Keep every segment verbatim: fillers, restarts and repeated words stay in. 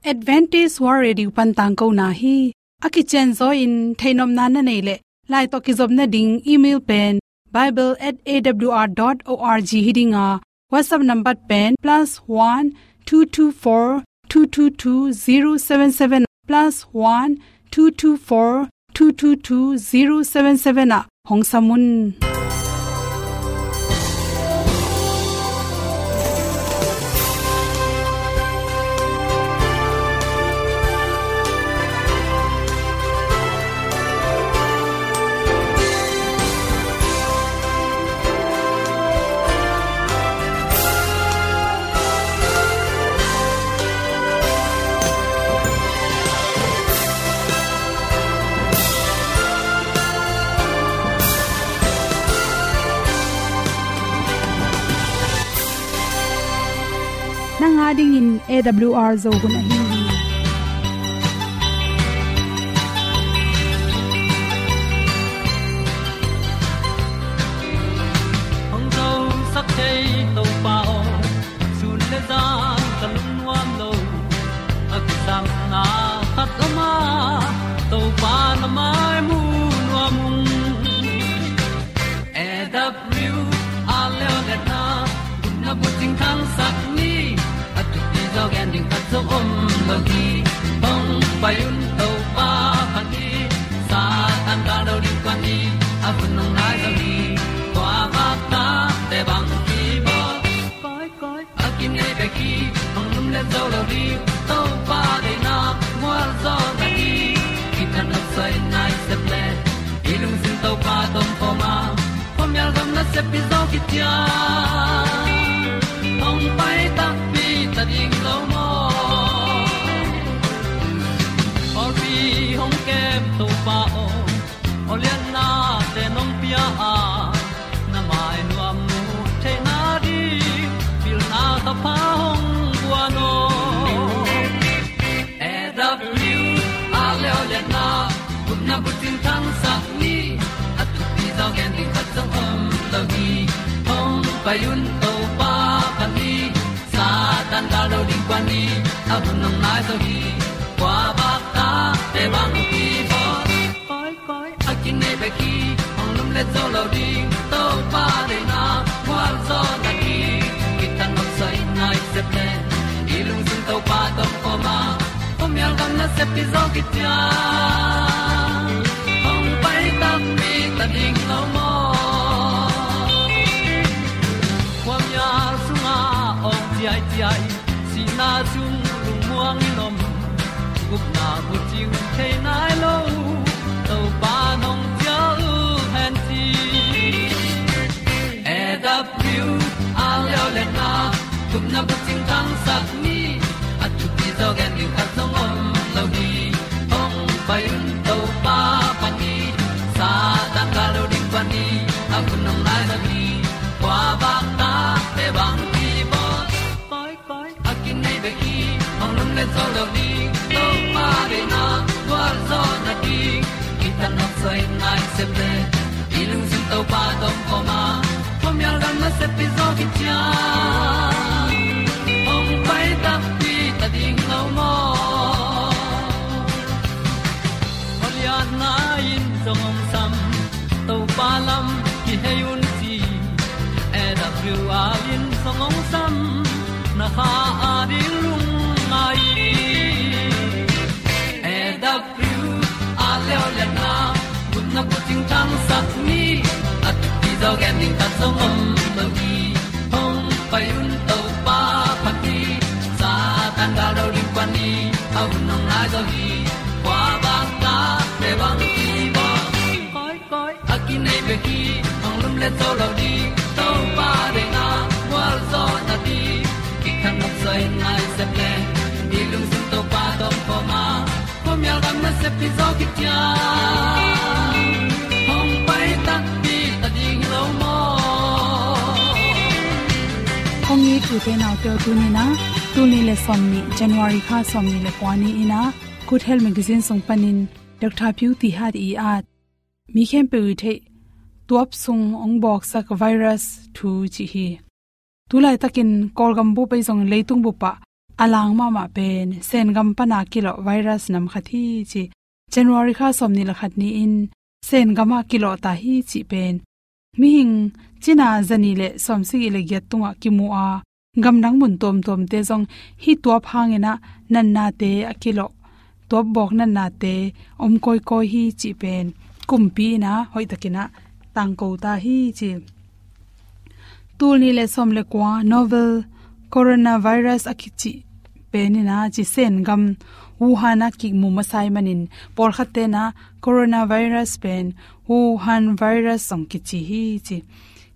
Adventist World Radio pan tangkona hi. A kicianzaw in theihnopna na neih leh, lai tawh kizopna ding email pen bible at A W R dot org hi ding a, WhatsApp number pen plus one two two four two two two zero seven seven, plus one two two four two two two zero seven seven ah hong sam un. Nang a dingin A W R Zo hun ahi hi. Hong zosak thei Topa aw, sun le zan ka lungnuam lo. A kisapna khat om a, Topa na mai mu nuam ung. A W R Leo le na, gupna bucing thangsak ni, a thupi zaw gen ding khat zong om lo hi. Hong pai un Topa phat ni, Satan gal lo ding kua ni, a hun hong nai zaw hi. Kua vak ta te bang hi bawl. Koi, koi, a kinei bek hi, hong lumlet zo lo ding, Topa deihna mual zaw na hi. Kithat nopsai nai sep le, i lungsim Topa tawh om khawm a, khuamial gam nasep pi zaw khit ciang, hong pai takpi ta ding lo maw. Pawlpi hong kem Topa aw, aw lianna te nong pia a, na mai nuam mu theihna ding, pilna thapha hong guan aw. A W R Leo le na, gupna bucing thangsak ni, a thupi zaw gen ding khat zong om lo hi. Hong pai un Topa phat ni, Satan gal lo ding kua ni, a hun hong nai zaw hi. Kua vak ta te bang hi bawl. Koi, koi, a kinei bek hi, hong lumlet zo lo ding, Topa deihna mual zaw na hi. Kithat nopsai nai sep le, i lungsim Topa tawh om khawm a, khuamial gam nasep pi zaw khit ciang, hong pai takpi ta ding lo maw. Khuamial sungah awng ciaiciai, sihna sung lungmuang in om, gupna bucing thei nai lo, Topa nong cial hen ci. A W R Leo le na, gupna bucing thangsak ni, a thupi zaw gen ding khat zong om lo hi. Hong pai un Topa phat ni, Satan gal lo ding kua ni, a hun hong nai zaw hi. Kua vak ta te bang hi bawl. Koi, koi, a kinei bek hi, hong lumlet zo lo ding, Topa deihna gual zaw na ding. Kithat nopsai nai sep le, i lungsim Topa tawh om khawm a, khuamial gam nasep pi zaw khit ciang, hong pai takpi ta ding lo maw. Aw lianna in zong hong sam, Topa lam kihei un ci. A W R in zong hong sam, na kha a ding lungngai. A W R Leo le na, gupna bucing thangsak ni, a thupi zaw gen ding khat zong om lo hi. Hong pai un Topa phat ni, Satan gal lo ding kua ni, a hun hong nai zaw hi. Kua vak ta te bang hi bawl. Koi, koi, a kinei bek hi, hong lumlet zo lo ding, Topa deihna gual zaw na ding. Kithat nopsai nai sep le, i lungsim Topa tawh om khawm a, khuamial gam nasep pi zaw khit ciang, hong pai takpi ta ding lo maw. Hong it u te nau te aw, tuni in ah, tul nih le sawmnih, January kha sawmnih le kua ni in ah, Good Health Magazine sung panin Doctor Piu Ti Hat i at, mi khempeuh i theih tuap sung hong bawksak virus thu cih hi. Tulaitakin Kawlgam bup ahi zongin leitung bup ah a lang mahmah pen Sen gam pana kilawh virus nam khat hi ci. January kha sawmnih le khat ni-in Sen gamah kilawh ta hi cih pen mihing cina zanih le sawmsagih le giat tungah kimu a, gamdang mun tuamtuamte zong hih tuap hangin ah natnate a kilawh, tuap bawk natnate om kawikawi hi cih pen kumpi in ah hoihtakin ah tangko ta hi ci. Tul nih le sawm le kua novel coronavirus a kici pen in ah ci Sen gam Wuhan ah kimu masa ahih manin pawlkhatte in ah coronavirus pen Wuhan virus zong kici hi ci.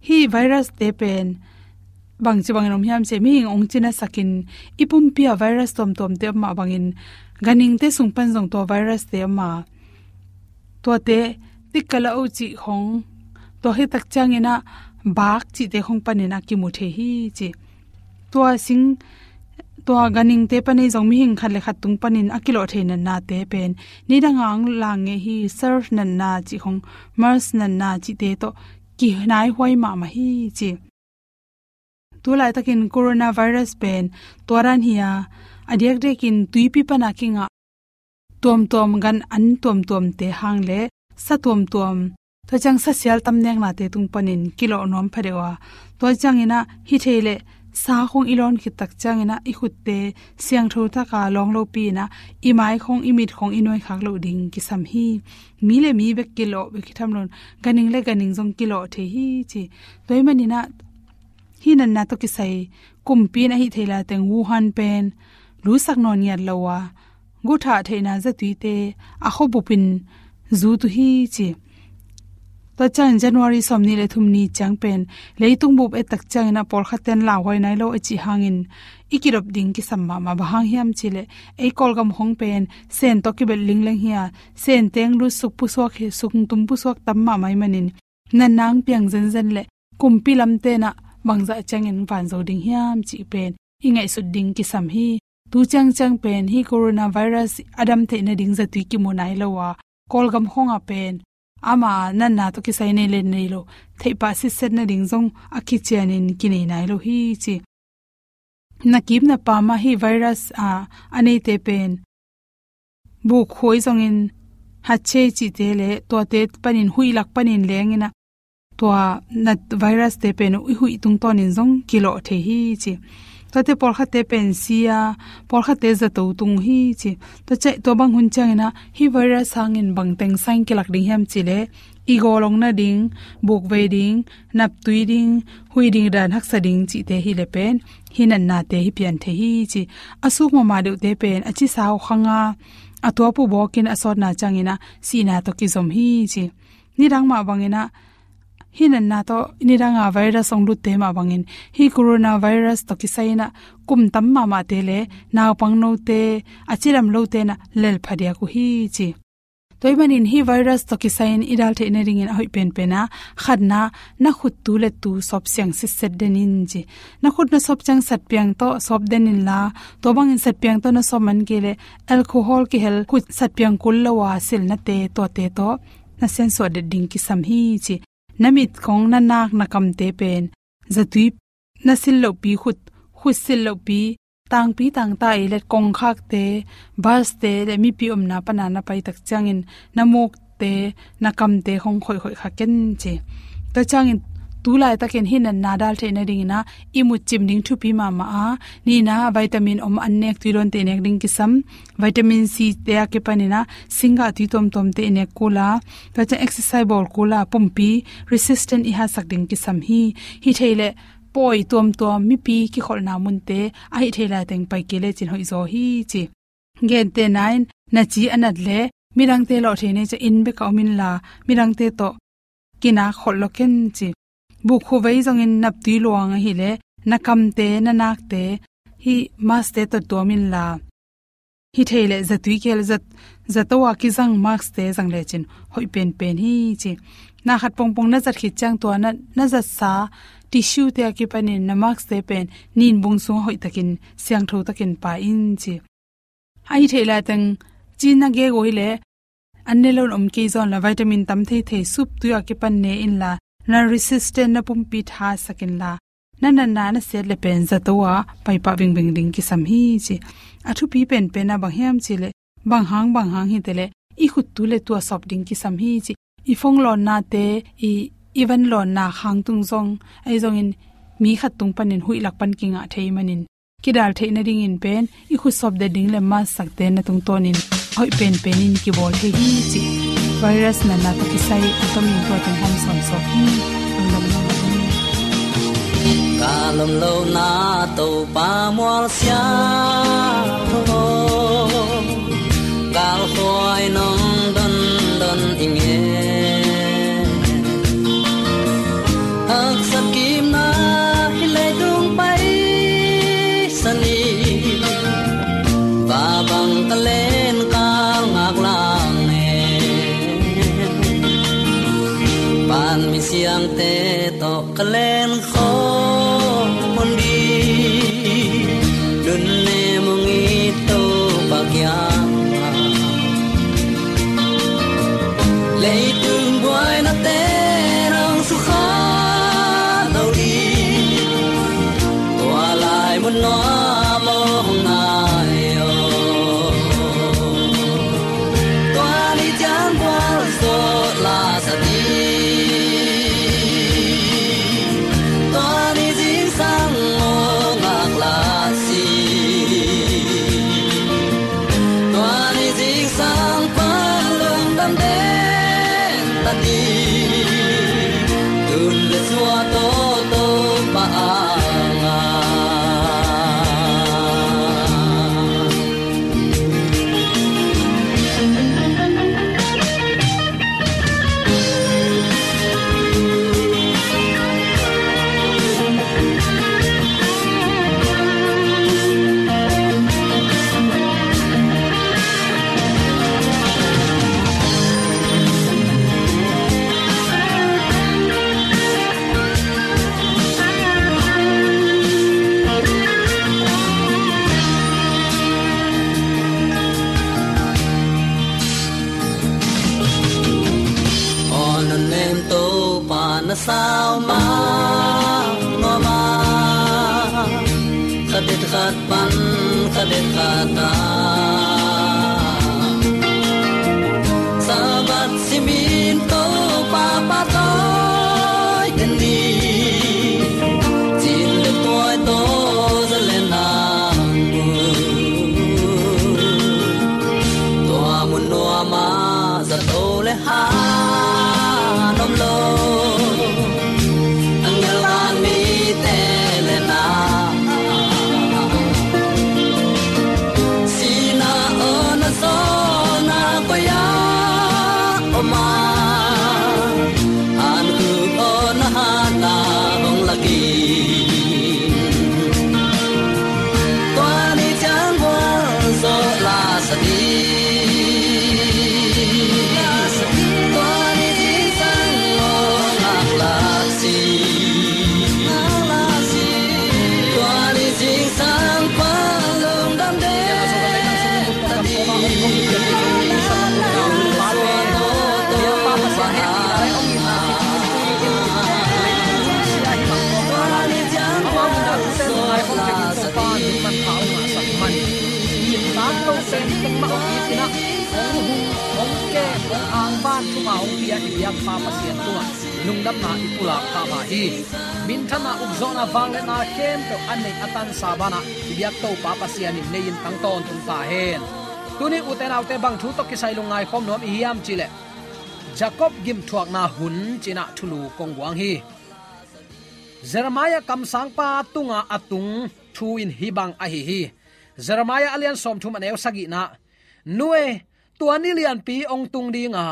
Hih virus te pen bangci bangin om hiam cih leh mihing hong cinasakin i pumpi ah virus tuamtuamte om mah bangin ganhingte sung pan zong tua virus te om a, tuate tikka la uh cih khong, tua khit tak ciangin ah bak cihte khong panin ah kimu thei hi ci. Tua sing, tua ganhingte pan ei zong mihing khat le khat tung panin a kilawh thei natnate pen nidang a hong lang ngei hi. SARS natna cih khong, MERS natna cihte tawh kinaihuai mahmah hi ci. Tu laitakin coronavirus pen tua dan hi a, a diakdiakin tuipi pana kingah tuamtuam gan an tuamtuamte hang le sa tuamtuam, tua ciang sa sial tam neknate tung panin kilawh nuam phadeuh a, tua ciangin ah hi thei leh sa khong i lawn khit tak ciangin ah i khutte siangtho taka lawng lopi in ah i mai khong, i mit khong i nuai khak loh ding kisam hi. Mi le mi bek kilawh bek hi tham loin ganhing le ganhing zong kilawh thei hi ci. Tua ahih manin ah hih natna tawh kisai kumpi in ah hih thei laiteng Wuhan pen lusak nawn ngiat lo a, guhthah theihna zatuite a khuabup in zut uh hi ci. Tua ciangin January sawmnih le thum ni ciang pen leitung bup et tak ciangin ah pawlkhatte in lauhuai nai lo a cih hangin i kidop ding kisam mahmah. Bang hang hiam cih leh ei Kawlgam khong pen Sen tawh kibelh lingleng hi a, Sen teng lutsuk pusuak hi, suktum pusuak tam mahmah ahih manin natna hong piang zenzen leh kumpi lamte in ah bangzah ciangin vanzo ding hiam cih pen i ngaihsut ding kisam hi. Tu ciangciang pen hih coronavirus a dam theih nading zatui kimu nai lo a, Kawlgam khong ah pen ama natna tawh kisai nei le nei lo theih pah sitset nading zong a kicianin kinei nai lo hi ci. Na kip na pam ah hih virus a, a neite pen buk khuai zongin hatchei cihte le tuate panin huih lak panin lengin ah tua na virus te pen i huih tungtawnin zong kilawh thei hi ci. Tuate pawlkhatte pen si a, pawlkhatte zato tung uh hi ci. Tua ciang, tua bang hun ciangin ah hih virus hangin bangteng sa in kilak ding hiam cih leh i gawlong nading, buk vei ding, naptui ding, huih ding dan haksa ding cihte hi leh pen hih natnate hi pian thei hi ci. A suk mahmah deuhte pen a cisa uh khang a, a tuap uh bawkin a sawtna ciangin ah sihna tawh kizom hi ci. Nidang mah bangin ah hih natna tawh nidang a virus hong lutte mah bangin hih coronavirus tawh kisai in ah kum tam mahmahte le naupang note, a cidam lote in ah lel phadiak uh hi ci. Tua ahih manin hih virus tawh kisai in i dal theih nadingin a hoih penpen ah khatna, na khut tu le tu sawp siang sitset den in ci. Na khut na sawp ciang satpiang tawh sawp den inla, tua bangin satpiang tawh na sawp man kei leh alcohol kihel khut satpiang kul lo a silnate tuate tawh na siansuah det ding kisam hi ci. Na mit khong, na nak, na kamte pen zatui na sil lohpi, khut, khut sil lohpi, tangpi tangta ei le kongkhakte, bus te le mipi omna pana na pai tak ciangin na mukte, na kamte khong khoihkhoih kha ken ci. Tua ciangin tu laitakin hih natna dal theih nadingin ah i mut cim ding thupi mahmah a, nihna vitamin om an nek, tui dawnte i nek ding kisam. Vitamin C te a kipanin ah singgah tui tuamtuamte i nek kul a, tua ciang exercise bawl kul a pumpi resistant i hatsak ding kisam hi. Hi thei leh pawi tuamtuam, mipi kikholhna munte, a hi thei laiteng pai kei lecin hoihzaw hi ci. Gentehna in na ci a nat leh midangte lawh thei nei ciang inn bek ah om inla, midangte tawh kinak kholh lo ken ci. Buk khuvei zongin naptui luang ahih leh na kamte, na nakte hih mask te tawh tuam inla, hi thei leh zatui kihel, zat, zato a kizang mask te zang lecin hoih penpen hi ci. Na khat pongpong na zat khit ciang tua na, na zatsa tissue te a kipanin na mask te pen nin bung sungah hoihtakin, siangtho takin pah in ci. A hi thei laiteng ci na gek uh hi leh an ne loin om kei zaw inla, vitamin tam theithei sup tui a kipan ne inla, na resistant, na pumpi thasak inla, na natna na siat le pen zato a paipah bingbing ding kisam hi ci. A thupi penpen a bang hiam cih leh, bang hang bang hang hi te leh i khut tu le tu a sawp ding kisam hi ci. I phone lawnnate, i, i van lawnna khang tung zong, ahi zongin mi khat tung panin huih lak pan kingah thei manin, kidal theih nadingin pen i khut sawp det ding le mask sakte na tungtawnin hoih penpen in kibawl thei hi ci. Virus natna tawh kisai a tomin tua teng hong sawn sawk hi. Lungdam lungdam. Ka lomlona Topa mual sia lo, galkhuai nong dondon i ngen. Haksat kimna hih leitung paisan hi, va bang ka len kal ngak lang e. Pan mi siangte tawh ka len khawm hun ding, nunnem hong it Topa kiangah. Leitung buainate nong sukha lo ding, tua lai mun nuam hong nai aw. Tua ni ciang gualzawh la sa ding, tua ni zingsang mawh ngak la si. Tua ni zingsang pan lungdam den ta ding, tun le suah tawh Topa a ngah. Aw nunnem Topa na sau mah nuam a, khat det khat pan khat det khat a, Sabbath simin Topa pahtawi den ni, cin le tuai tawh za le nang mu. Tua mun nuam ah zato le han om lo, a ngelhang mite le na. Sihna aw na zawhna koi ah om a, hankhuk aw na hatna hong lak in. Tua ni ciang gualzawh la sa ding, tua ni zingsang mawh ngak la si. Tua ni zingsang pan lungdam den ta ding. Lungdamna i pulak pha hi. Minthanna, ukzawhna, vangliatna khempeuh a neih a tansa banah i biak Topa Pasian in nei-in tang tawntung ta hen. Tuni ute naute bang thu tawh kisai lungngai khawm nuam i hiam cihleh, Jacob gimthuakna hun cinah thulu kong guang hi. Jeremiah kamsangpa tunga a tung thu in hih bang ahi hi. Jeremiah a lian sawmthum a neu sagihna, Nu e, tua ni lianpi hong tung dinga,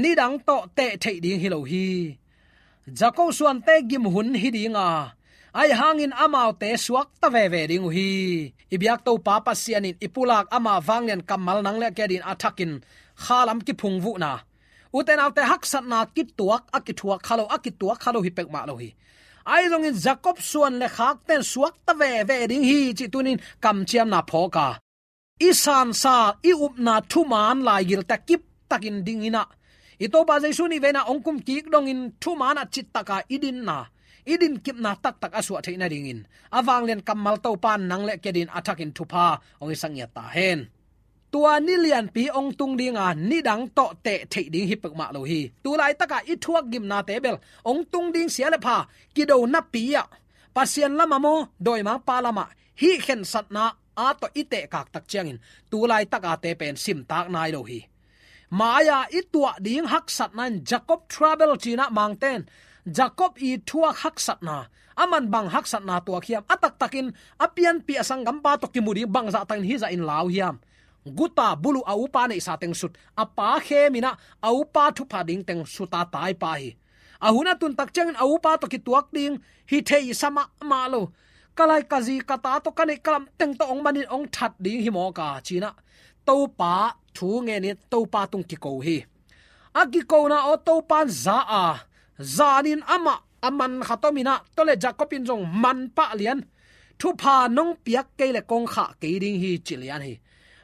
nidang tawh teh theih ding hi lo hi. Jacob suante gim hun hi dinga, ahi hangin amaute suakta veve ding uh hi. I biak Topa Pasian in i pulak ama vanglian kammal nang le kei adingin a thakin khalam kiphungvuhna, ute naute haksatna kituak a kituak kha lo, a kituak kha lo hi peuhmah lo hi. Ahi zongin Jacob suan le khakten suakta veve ding hi cih tunin kamciamna phawk a, i sansa, i upna thuman laigilte kiptakin dinginah, i Topa Jesu nih veina hong kumkik dongin thumanah cittaka i dinna, i dinkipna taktak a suah theih nadingin a vanglian kammal Topa in nang le kei adingin a thakin thupha hong hisak ngiat ta hen. Tua ni lianpi hong tung dinga nidang tawh teh theih ding hi peuhmah lo hi. Tulaitaka i thuak gimnate bel hong tung ding sia le pha kido napi-ah Pasian lamah maw, dawimangpa lamah hih khensatna a tawh i tehkak tak ciangin tulaitaka te pen simtak nai lo hi. Mai-a i tuah ding haksatna in Jacob trouble cinah Mangten Jacob i thuak haksatna, aman bang haksatna tuak hiam, a taktakin a pianpih a sanggampa tawh kimu ding bangzah takin hizah in lau hiam? Guta buluh a upa neihsa teng sut, a pa kheminah a upa thupha ding teng suta taipa hi. A hun a tun tak ciangin a upa tawh kituak ding hi theisa mahmah lo. Ka lai ka zi ka ta tawh ka neih ka lam teng tawh hong manin hong that ding hi mawk a cinah Topa thu ngenin Topa tung kiko hi. A kikona aw Topa in za a, zanin amah a man khat ominah tawh le Jacob in zong manpah lian, thupha nong piak kei le kong khah kei ding hi ci lian hi.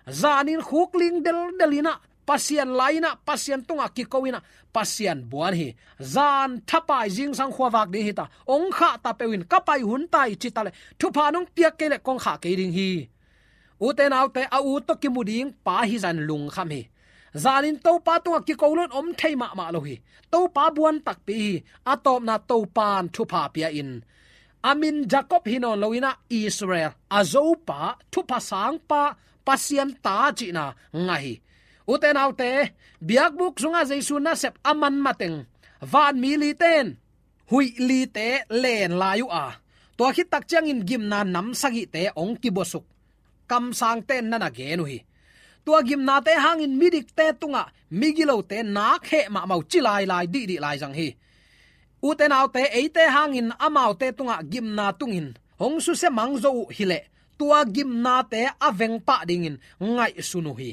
Zanin khukling deldel inah Pasian lai-inah Pasian tungah kiko inah Pasian buan hi. Zan thapai zingsang khuavak ding hita, hong khah ta peuhin ka pai hun ta hi ci ta le thupha nong piak kei le kong khah kei ding hi. Ute naute, a u tawh kimu ding pa hi zan lungkham hi. Zanin Topa tungah kiko loin om thei mahmah lo hi. Topa buan takpi hi. A tawpna Topan thupha pia-in a min Jacob hi nawn loinah Israel, a zopa, thupha sangpa, Pasian ta cihna ngah hi. Ute naute, biakbuk sungah Jesu nasep a man mateng vanmi lite in huih lite len lai uh a, tua khit tak ciangin gimna nam sagihte hong kibuasuk. Kamsangte in na na gen uh hi. Tua gimnate hangin midikte tungah migilote nak heh mahmah uh ci lailai dihdih lai zang hi. Ute naute, eite hangin amaute tungah gimna tungin hong susia mang zo uh hileh tua gimnate a vengpah dingin ngaihsun uh hi.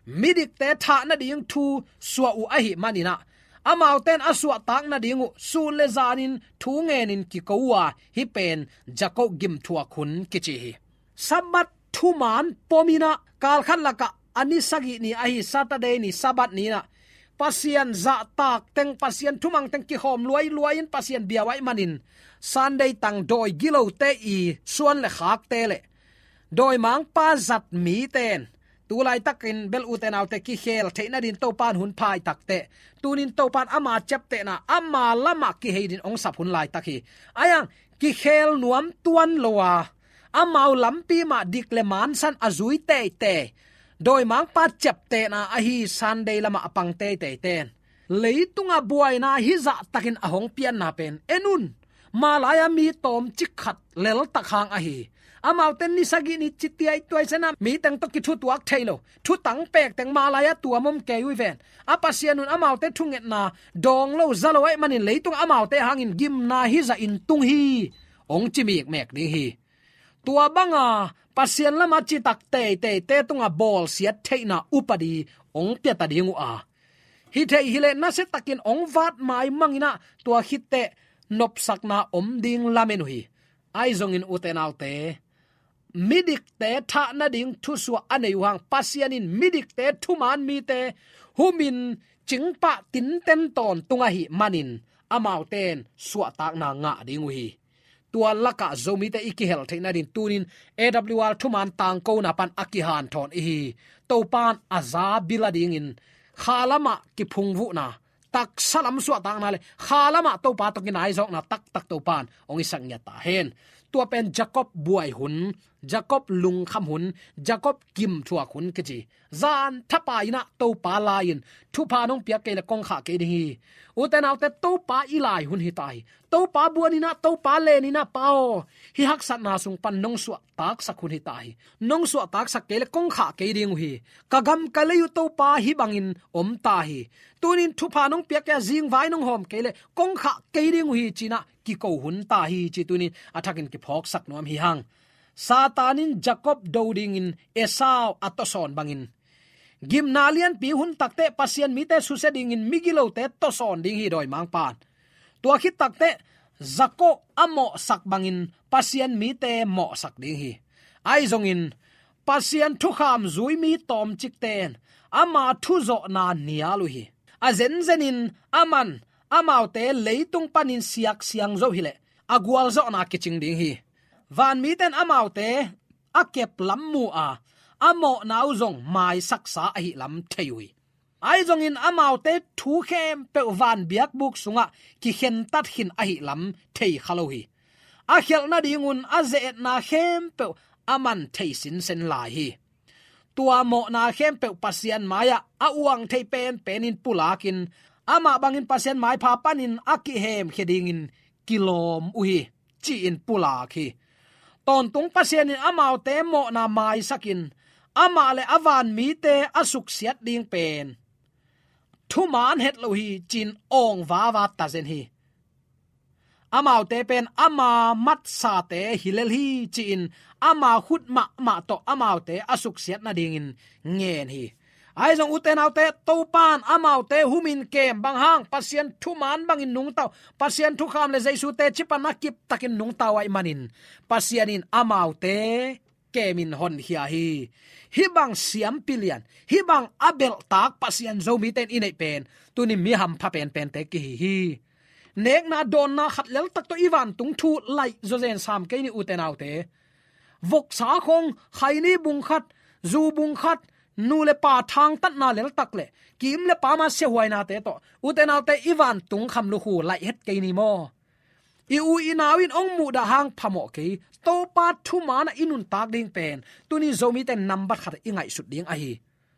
Midikte thah nading thu suah uh ahih maninah amaute in a suahtak nading uh sun le zanin thu ngenin kiko uh a, hih pen Jacob gimthuak hun kici hi. Sabbath thuman pominah kalkhat lakah a ni sagih ni ahi Saturday ni Sabbath ni inah Pasian zahtak teng, Pasian thumang teng kikhawm luailuai-in Pasian bia uh ahih manin Sunday tang dawi gilote i suan le khakte le dawimangpa zat mite in tulaitakin bel ute naute kikhel theih nadin Topan hun phai takteh tunin Topan ama ciaptehna ama lamah kihei din hong sap hun laitak hi. Aiang kikhel nuam tuan lo a, amau lampi mah dik le mansan a zui teitei dawimangpa ciaptehna ahi Sunday lamah a pang teiteite in leitungah buaina hizahtakin a hong pianna pen en un. Malai-a mi tawmcik khat leltak hang ahi. Amaute ni sagih ni ci tiaituai sena mi teng tawh kithutuak thei lo, thutang pek teng malai-a tuam om kei uh hi ven. A Pasian un amaute thungetna dawng lo za lo ahih manin leitung amaute hangin gimna hizah in tung hi hong ci mikmek ding hi. Tua banga Pasian lamah citak teiteite tungah bawlsiat theihna upadi hong piata ding uh a, hi thei hileh nasiatakin hong vat maimanginah tua khitteh nopsakna om ding lamen uh hi. Ahi zongin ute naute, midikte thah nading thusuah a nei uh hang Pasian in midikte thuman mite humin cingpah tinten tawntung ahih manin amaute in suahtakna ngah ding uh hi. Tua lakah Zomite i kihel theih nadin tunin A W R thuman tangkona pan a kihanthawn ihi. Topan a za bil a dingin kha lamah kiphungvuhna, taksa lam suahtakna le kha lamah Topa tawh kinaizawkna taktak Topan hong hisak ngiat ta hen. Tua pen Jacob buai hun, Jacob lungkham hun, Jacob gimthuak hun kici. Zan thapai inah Topa lai-in thupha nong piak kei le kong khah kei ding hi. Ute naute, Topa i lai hun hi ta hi. Topa buan inah, Topa len inah, Pa aw, hih haksatna sung pan nong suahtaksak hun hi ta hi. Nong suahtaksak kei le kong khah kei ding uh hi. Ka gam ka lei uh Topa hih bangin om ta hi. Tunin thupha nong piak kei a zingvai nong hawm kei le kong khah kei ding uh hi cinah kiko hun ta hi ci tunin a thakin kiphawksak nuam hi hang. Satan in Jacob do dingin Esau a tawsawn bangin gimna lianpi hun takteh Pasian mite susia dingin migilote tawsawn ding hi dawimangpan. Tua khit takteh Jacob a mawhsak bangin Pasian mite mawhsak ding hi. Ahi zongin Pasian thukham zui mi tawmcikte in ama thuzawhna nial uh hi. A zenzenin aman amaute leitung panin siaksiang zo hileh a gualzawhna kicing ding hi. Vanmite in amaute a kep lam mu a, a mawhna uh zong maisaksa ahih lam thei uh hi. Ahi zongin amaute thu khempeuh van biakbuk sungah kikhentat khin ahih lam thei kha lo hi. A khialh nadingun a ze-etna khempeuh a man thei sinsen lai hi. Tua mawhna khempeuh Pasian mai-ah a uang thei penpenin pulakin, amah bangin Pasian maipha panin a kihemkhia dingin kilawm uh hi, ci-in pulak hi. Tawntung Pasian in amaute mawhna maisakin, amah le a vanmite a suksiat ding pen thuman het lo hi, ci-in awng vava tazen hi. Amaute pen ama matsate hi lel hi, ci-in ama khut mahmah tawh amaute a suksiat nadingin ngen hi. Ahi zong ute naute, Topa in amaute humin kem bang hang, Pasian thuman bangin nungta uh, Pasian thukham le Jesu teci pan a kiptakin nungta uh ahih manin, Pasian in amaute kemin honkhia hi. Hih bang siampi lian, hih bang a belhtak Pasian Zomite in i neih pen tuni mi hampha penpente kihi hi. Nekna dawnna khat leltak tawh i vantung thu laih zawzen sam kei ni ute naute. Voksa khong, khaini bung khat, zu bung khat, nu le pa thangtatna leltak le kim le pam a siahuainate tawh ute naute i vantung kham lukhu laih het kei ni maw? I u i nau in hong muhdah hang phamawh kei. Topa thuman ah i nuntak ding pen tuni Zomite nambat khat i ngaihsut ding ahi.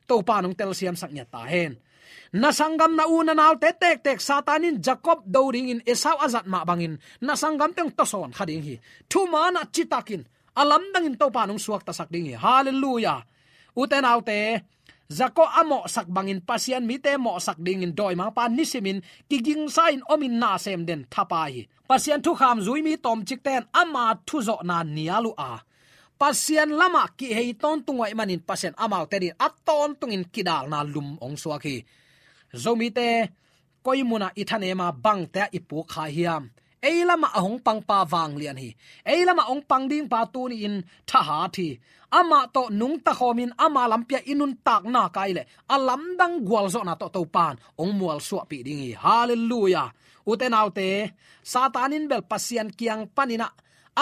Topa in hong telsiamsak ngiat ta hen. Na sanggam, na u na naute tektek Satan in Jacob do dingin Esau a zat mah bangin na sanggamte hong tawsawn kha ding hi. Thuman ah citakin a lamdangin Topa in hong suaktasak ding hi. Halleluiah. Ute naute, Jacob a mawhsak bangin Pasian mite mawhsak dingin dawimangpa nisimin kigingsa-in omin nasem den thapai hi. Pasian thukham zui mi tawmcikte in ama thuzawhna nial uh a, Pasian lamah kihei tawntung uh ahih manin Pasian amaute dingin a tawntungin kidalna lum hong suak hi. Zomite koi munah i thanem a, bangte ah i puk kha hiam? Ei lamah a hong pangpa vanglian hi. Ei lamah hong pang dingpa tuni-in thahat hi. Amah tawh nungta khawmin ama lampi ah i nuntakna kai leh a lamdang gualzawhna tawh Topa in hong mualsuahpih ding hi. Halleluiah. Ute naute, Satan in bel Pasian kiang panin ah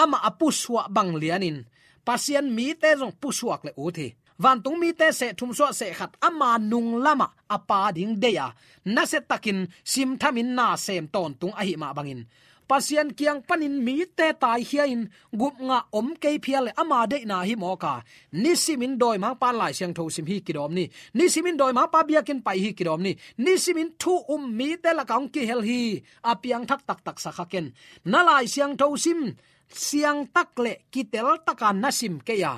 amah a pusuah bang lianin Pasian mite zong pusuak le ut hi. Vantung mite seh thum suah seh khat ama nung lamah a pa ding deih a, nasiatakin simthamin nasem tawntung ahih mah bangin Pasian kiang panin mite taikhia-in gupngah om kei phial le ama deihna hi mawk a, nisimin dawimangpa in Lai Siangtho sim hi kidawm ni. Nisimin dawimangpa biakinn pai hi kidawm ni. Nisimin thu um mite lakah hong kihel hi. A piangthak taktak sa kha ken. Na Lai Siangtho sim siangtak le kiteltaka na sim kei a,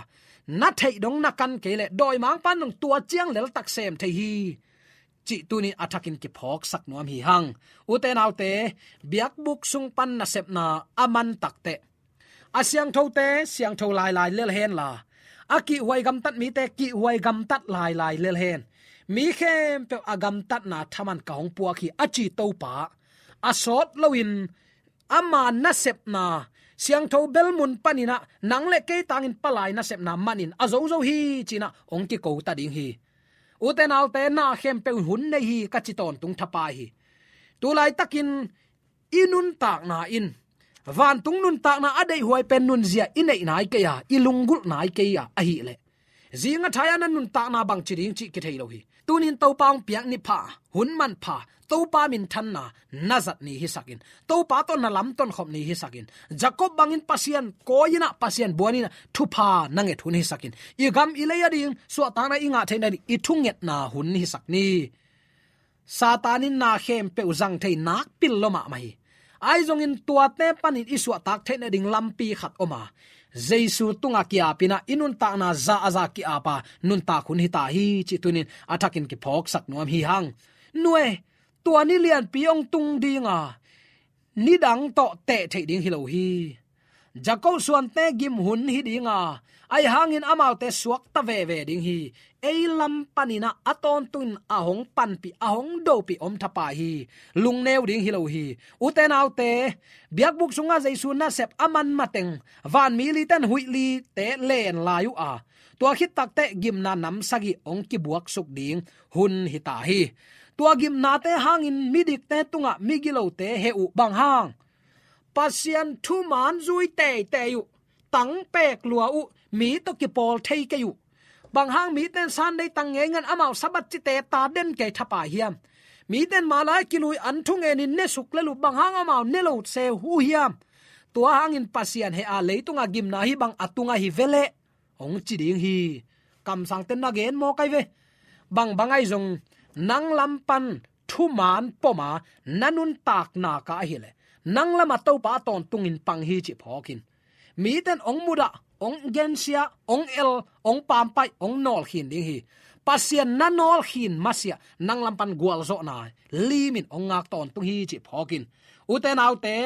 na theih dong na kan kei leh dawimangpa in dong tua ciang leltak sem thei hi, cih tuni a thakin kiphawksak nuam hi hang. Ute naute, biakbuk sung pan nasepna a man takteh a siangthote siangtho lailai lel henla, a kihhuai gamtat mite kihhuai gamtat lailai lel hen. Mi khempeuh a gamtatna thaman ka hong puak hi, a ci Topa a sawt loin ama nasepna siangtho bel mun panin ah nang le kei tangin palai nasepna manin a zozo hi ci-in ah hong kiko ta ding hi. Ute naute, na khempeuh hun nei hi ka ci tawntung thapai hi. Tulaitakin i nuntakna in vantung nuntakna a deihhuai pen nunzia i neih nai kei a, i lunggulh nai kei a, ahih leh zing a thai-a na nuntakna bangci ding cih kithei lo hi. Tunin Topa hong piak ni pha, hun manpha, Topa minthanna na zat ni hisakin, Topa tawh na lamton khop ni hisakin, Jacob bangin Pasian kawi-in ah, Pasian buan-in ah thupha na nget hun hisakin, i gam i lei a ding suahtakna i ngah theihna ding i thungetna hun hisak ni. Satan in na khempeuh zang thei nakpi lo mahmah hi. Ahi zongin tuate panin i suahtak theihna ding lampi khat om a, Jesu tungah kiapin ah i nuntakna za a za ki-ap a nuntak hun hi ta hi, cih tunin a thakin kiphawksak nuam hi hang. Nue, tua ni lianpi hong tung ding a, nidang tawh teh theih ding hi lo hi. Jacob suante gim hun hi ding a, ahi hangin amaute suakta veve ding hi. Ei lam panin ah a tawntungin a hong panpih, a hong dopih om thapai hi. Lungneu ding hi lo hi. Ute naute, biakbuk sungah Jesu nasep a man mateng vanmi lite in huih lite len lai uh a, tua khit takteh gimna nam sagih hong kibuaksuk ding hun hi ta hi. Tua gimnate hangin midikte tungah migilote heh uh bang hang, Pasian thuman zui teitei uh, tang pek lua uh, mi tawh kipawl thei kei uh. Bang hang mite in Sunday tang ngei ngan amau Sabbath cite ta den kei thapai hiam? Mite in malai kilui an thungen in ne suk lel uh, bang hang amau ne lo se uh hiam? Tua hangin Pasian heh a, leitunga gimna hi bang a tunga hi veleh, hong ci ding hi. Kamsangte na gen mawk ai ve. Bang bang ai zong nang lam pan thuman pom a na nuntakna ka ahih leh, nang lamah Topa a tawntungin pang hi cih phawk in. Mite in hong mudah, hong gensia, hong el, hong pampaih, hong nawlkhin ding hi. Pasian na nawlkhin masiah nang lam pan gualzawhna limin hong ngak tawntung hi cih phawk in. Ute naute,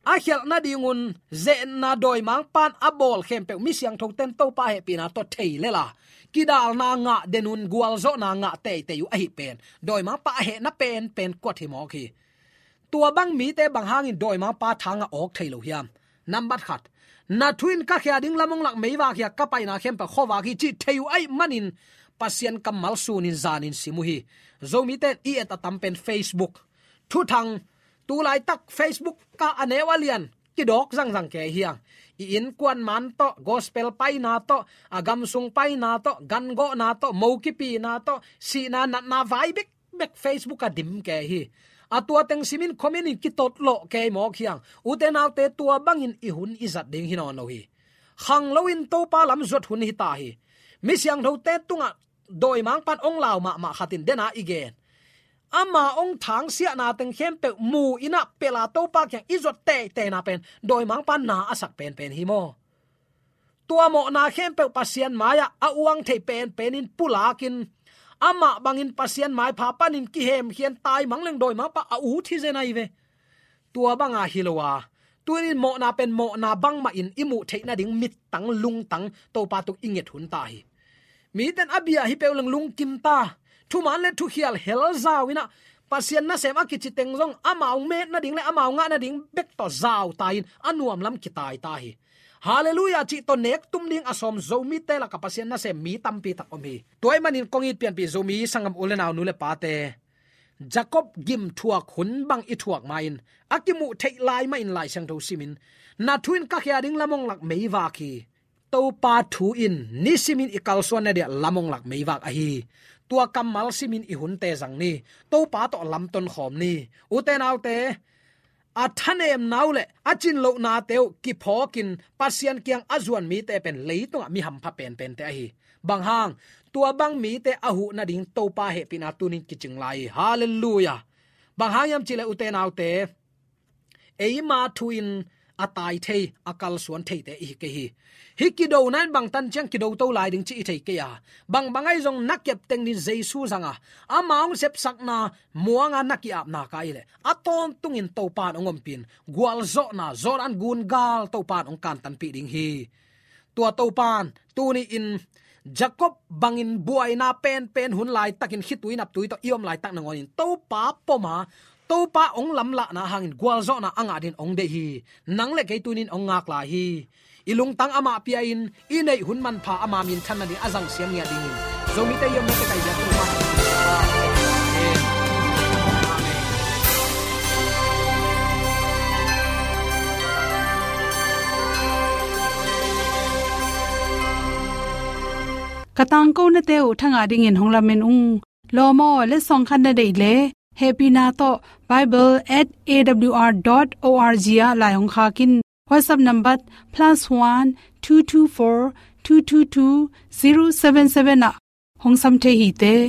a khialh nadingun ze-etna dawimangpa'n a bawl khempeuh mi siangthote in Topa hehpihna tawh thei lel a, kidalna ngah den un, gualzawhna ngah teitei uh ahih pen dawimangpa a hehna penpen kuat hi mawk hi. Tua bang mite bang hangin dawimangpa thang a awk thei lo hiam? Nambat khat, na thu in ka khia ding lam hong lak meivak hi a, ka paina khempeuh khuavak hi cih thei uh ahih manin Pasian kammal sunin zanin sim uh hi. Zomite in i et a tam pen Facebook, thuthang, tu laitak Facebook ah a neu a lian kidawk zangzang kei hi hang. I innkuan man tawh, gospel paina tawh, a gamsung paina tawh, gangawhna tawh, mo kipina tawh, sihna natna vai bek bek Facebook ah dim kei hi. A tua teng simin comment in kitotlawh kei mawk hi hang. Ute naute, tua bangin i hun i zat ding hi nawn lo hi. Khanglo in Topa lam zuat hun hi ta hi. Mi siangthote tungah dawimangpa'n hong lau mahmah khat in den a i gen, ama hong thangsiahna teng khempeuh mu in ah pelh a Topa kiang i zuat teiteina pen dawimangpa'n na a sak penpen hi maw? Tua mawhna khempeuh Pasian mai-ah a uang thei penpen in pulakin, amah bangin Pasian maipha panin kihemkhia in taimang leng dawimangpa a ut hi zen ahi ve. Tua banga hi lo a, tu-in mawhna pen mawhna bangmah in i muh theih nading mittang lungtang Topa tung i nget hun ta hi. Mite in a bia hi peuh leng lungkim ta, thuman le thukhial hel zau in ah, Pasian nasem a kici teng zong amau met nading le amau ngah nading bek tawh zau ta in a nuam lam kitai ta hi. Halleluiah cih tawh nek tum ding a sawm Zomite lakah Pasian nasem mi tampi tak om hi. Tua ahih manin kong it pianpih Zomi sanggam u le nau, nu le pate, Jacob gim thuak hun bang i thuak ma-in, a kimuh theih lai mahin Lai Siangtho simin, na thu in ka khia ding lam hong lak meivak hi. Topa thu in nisimin i kalsuan na dia lam hong lak meivak ahi. Tua kammal simin i hunte zang ni. Topa tawh lamton khawm ni. Ute naute, a thanemna uh le a cinlohnate uh kiphawkin Pasian kiang a zuan mite pen leitungah mi hampha penpente ahi. Bang hang? Tua bang mite a huh nading Topa hehpihna tunin kicing lai hi. Halleluiah. Bang hang hiam cih leh, ute naute, eima thu in a tai thei, a kalsuan theite i hi kei hi. Hih kidona in bangtan ciang kido to lai ding cih i thei kei a, bang bang ahi zong na kep teng ding Jesu zang a, ama hong sepsakna muanga na ki-apna ka ahih leh, a tawntungin Topa in hong ompih in, gualzawhna Jordan gun gal Topa in hong kantanpih ding hi. Tua Topa in tuni-in Jacob bangin buaina penpen hun laitakin khitui naptui tawh i om laitak nangawnin Topa pom a, Topa hong lamlahna hangin gualzawhna a ngah dingin hong deih hi. Nang le kei tuni-in hong ngak lai hi. I lungtang amah pia-in i neih hun manpha ama minthan nading a zangsiam ngiat dingin Zomite i omna teh kai biak Topa. Amen. Ka tangkonate uh thangah dingin hong lamen ung. Lawm aw, letsong khat na deih leh, hehpihna tawh bible at A W R dot O R G ah lai hong khak in. WhatsApp number plus one two two four two two two zero seven seven ah hong sam thei hi teh.